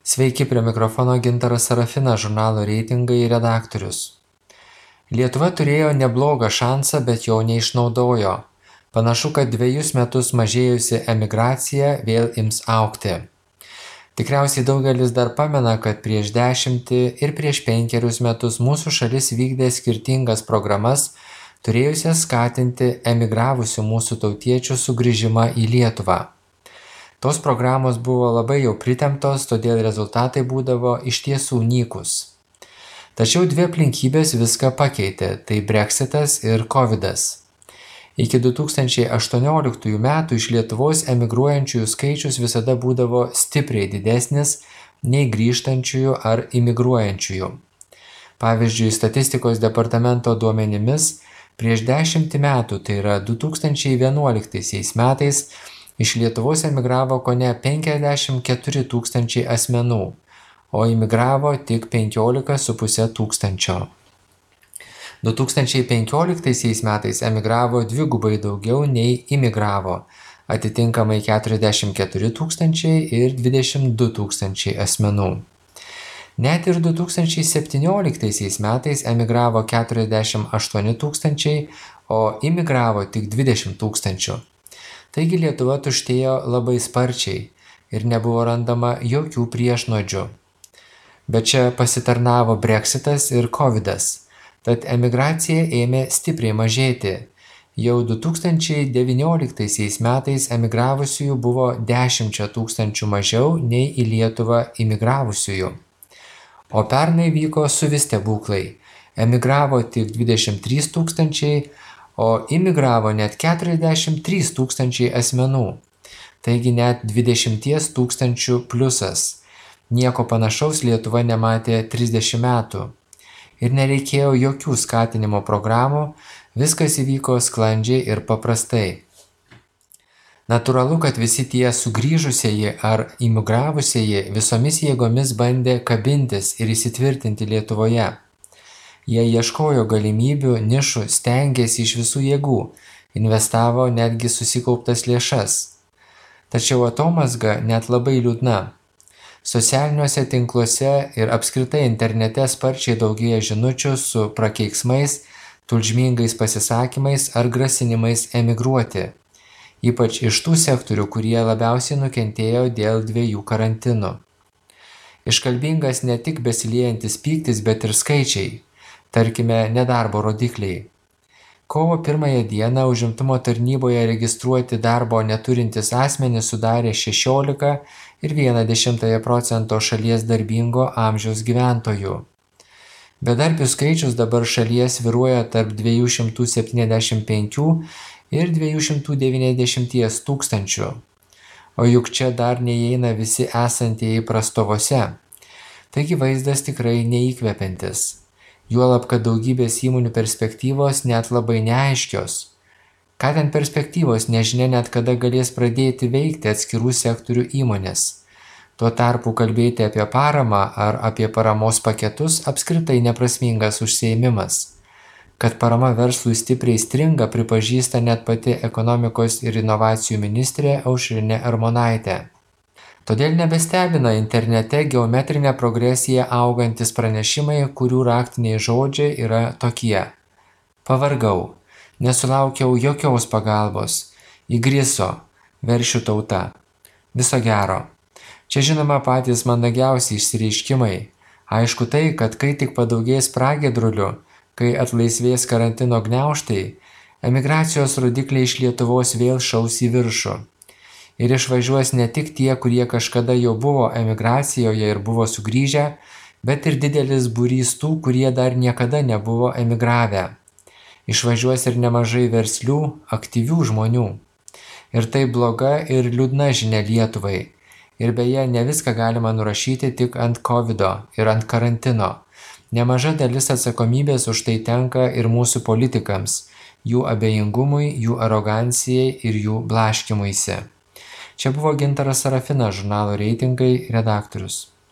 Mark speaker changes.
Speaker 1: Sveiki, prie mikrofono Gintaras Sarafinas, žurnalo Reitingai redaktorius. Lietuva turėjo neblogą šansą, bet jo neišnaudojo. Panašu, kad 2 metus mažėjusi emigracija vėl ims augti. Tikriausiai daugelis dar pamena, kad prieš 10 ir prieš 5 metus mūsų šalis vykdė skirtingas programas, turėjusias skatinti emigravusių mūsų tautiečių sugrįžimą į Lietuvą. Tos programos buvo labai jau pritemptos, todėl rezultatai būdavo iš tiesų nykus. Tačiau 2 aplinkybės viską pakeitė – tai Brexitas ir Covidas. Iki 2018 metų iš Lietuvos emigruojančiųjų skaičius visada būdavo stipriai didesnis nei grįžtančiųjų ar imigruojančiųjų. Pavyzdžiui, statistikos departamento duomenimis prieš 10 metų, tai yra 2011 metais, iš Lietuvos emigravo kone 54 tūkstančiai asmenų, o imigravo tik 15,5 tūkstančio. 2015 metais emigravo dvigubai daugiau nei imigravo, atitinkamai 44 tūkstančiai ir 22 tūkstančiai asmenų. Net ir 2017 metais emigravo 48 tūkstančiai, o imigravo tik 20 tūkstančių. Taigi Lietuva tuštėjo labai sparčiai ir nebuvo randama jokių priešnuodžių. Bet čia pasitarnavo Brexitas ir Covidas, tad emigracija ėmė stipriai mažėti. Jau 2019 metais emigravusiųjų buvo 10 tūkstančių mažiau nei į Lietuvą imigravusiųjų. O pernai vyko suvi stebuklai. Emigravo tik 23 tūkstančiai, o imigravo net 43 tūkstančiai asmenų. Taigi net 20 tūkstančių pliusas. Nieko panašaus Lietuva nematė 30 metų. Ir nereikėjo jokių skatinimo programų, viskas įvyko sklandžiai ir paprastai. Natūralu, kad visi tie sugrįžusieji ar imigravusieji visomis jėgomis bandė kabintis ir įsitvirtinti Lietuvoje. Jie ieškojo galimybių, nišų, stengėsi iš visų jėgų, investavo netgi susikauptas lėšas. Tačiau atomazga net labai liūdna. Socialiniuose tinkluose ir apskritai internete sparčiai daugėja žinučių su prakeiksmais, tulžmingais pasisakymais ar grasinimais emigruoti. Ypač iš tų sektorių, kurie labiausiai nukentėjo dėl 2 karantinų. Iškalbingas ne tik besiliejantis pyktis, bet ir skaičiai. Tarkime, nedarbo rodikliai. Kovo 1 dieną užimtumo tarnyboje registruoti darbo neturintys asmenys sudarė 16,1% šalies darbingo amžiaus gyventojų. Bedarbių skaičius dabar šalies svyruoja tarp 275 ir 290 tūkstančių. O juk čia dar neįeina visi esantieji prastovose. Taigi vaizdas tikrai neįkvepiantis. Juolab, kad daugybės įmonių perspektyvos net labai neaiškios. Ką ten perspektyvos, nežinia net kada galės pradėti veikti atskirų sektorių įmonės. Tuo tarpu kalbėti apie paramą ar apie paramos paketus apskritai neprasmingas užsiėmimas. Kad parama verslui stipriai stringa, pripažįsta net pati ekonomikos ir inovacijų ministrė Aušrinė Armonaitė. Todėl nebestebina internete geometrinė progresija augantis pranešimai, kurių raktiniai žodžiai yra tokie. Pavargau, nesulaukiau jokios pagalbos, įgriso, veršių tauta. Viso gero. Čia žinoma patys mandagiausi išsireiškimai. Aišku tai, kad kai tik padaugės pragiedrulių, kai atlaisvės karantino gniaužtai, emigracijos rodikliai iš Lietuvos vėl šaus į viršų. Ir išvažiuos ne tik tie, kurie kažkada jau buvo emigracijoje ir buvo sugrįžę, bet ir didelis būrys tų, kurie dar niekada nebuvo emigravę. Išvažiuos ir nemažai verslių, aktyvių žmonių. Ir tai bloga ir liūdna žinia Lietuvai. Ir beje, ne viską galima nurašyti tik ant Covido ir ant karantino. Nemaža dalis atsakomybės už tai tenka ir mūsų politikams, jų abejingumui, jų arogancijai ir jų blaškymuisi. Čia buvo Gintaras Sarafinas, žurnalo Reitingai redaktorius.